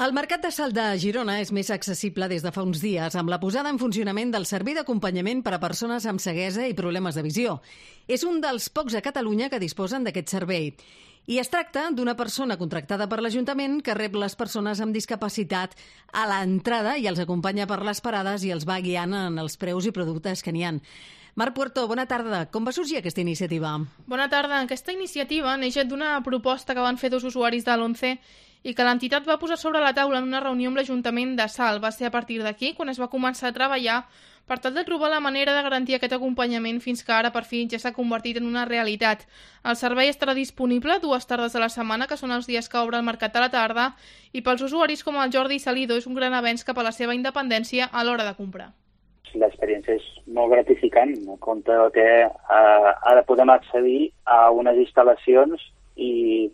El mercat de Salt de Girona és més accessible des de fa uns dies amb la posada en funcionament del servei d'acompanyament per a persones amb ceguesa i problemes de visió. És un dels pocs a Catalunya que disposen d'aquest servei. I es tracta d'una persona contractada per l'Ajuntament que rep les persones amb discapacitat a l'entrada i els acompanya per les parades i els va guiant en els preus i productes que n'hi ha. Marc Puerto, bona tarda. Com va sorgir aquesta iniciativa? Bona tarda. Aquesta iniciativa neix d'una proposta que van fer dos usuaris de l'11 i que l'entitat va posar sobre la taula en una reunió amb l'Ajuntament de Salt. Va ser a partir d'aquí quan es va començar a treballar per tal de trobar la manera de garantir aquest acompanyament fins que ara per fi ja s'ha convertit en una realitat. El servei estarà disponible 2 tardes a la setmana, que són els dies que obre el mercat a la tarda, i pels usuaris com el Jordi Salido és un gran avenç cap a la seva independència a l'hora de comprar. L'experiència és molt gratificant, en compte que ara podem accedir a unes instal·lacions i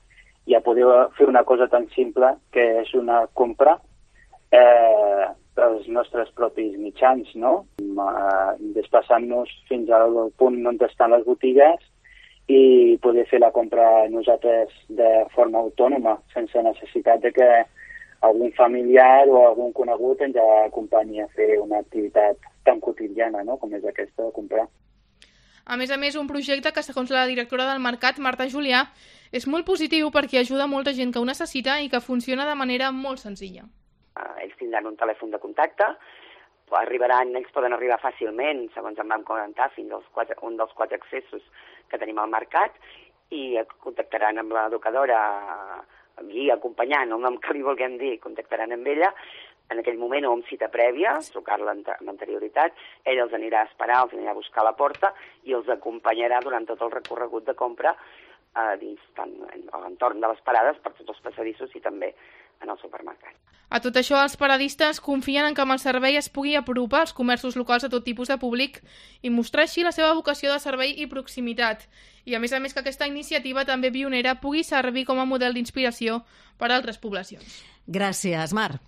ja poder fer una cosa tan simple que és una compra pels nostres propis mitjans, no? Desplaçant-nos fins al punt on estan les botigues i poder fer la compra nosaltres de forma autònoma, sense necessitat de que algun familiar o algun conegut ens acompanyi a fer una activitat tan quotidiana, no?, com és aquesta de comprar. A més, un projecte que, segons la directora del mercat, Marta Julià, és molt positiu perquè ajuda molta gent que ho necessita i que funciona de manera molt senzilla. Ells tindran un telèfon de contacte, ells poden arribar fàcilment, segons em vam comentar, fins als un dels 4 accessos que tenim al mercat i contactaran amb l'educadora, guia, acompanyant, el nom que li vulguem dir, contactaran amb ella en aquell moment o amb cita prèvia, trucar-la amb anterioritat, ell els anirà a esperar, els anirà a buscar a la porta i els acompanyarà durant tot el recorregut de compra dins tant a l'entorn de les parades, per tots els passadissos i també en el supermercat. A tot això, els paradistes confien en que amb el servei es pugui apropar als comerços locals a tot tipus de públic i mostrar així la seva vocació de servei i proximitat. I a més que aquesta iniciativa també pionera pugui servir com a model d'inspiració per a altres poblacions. Gràcies, Marc.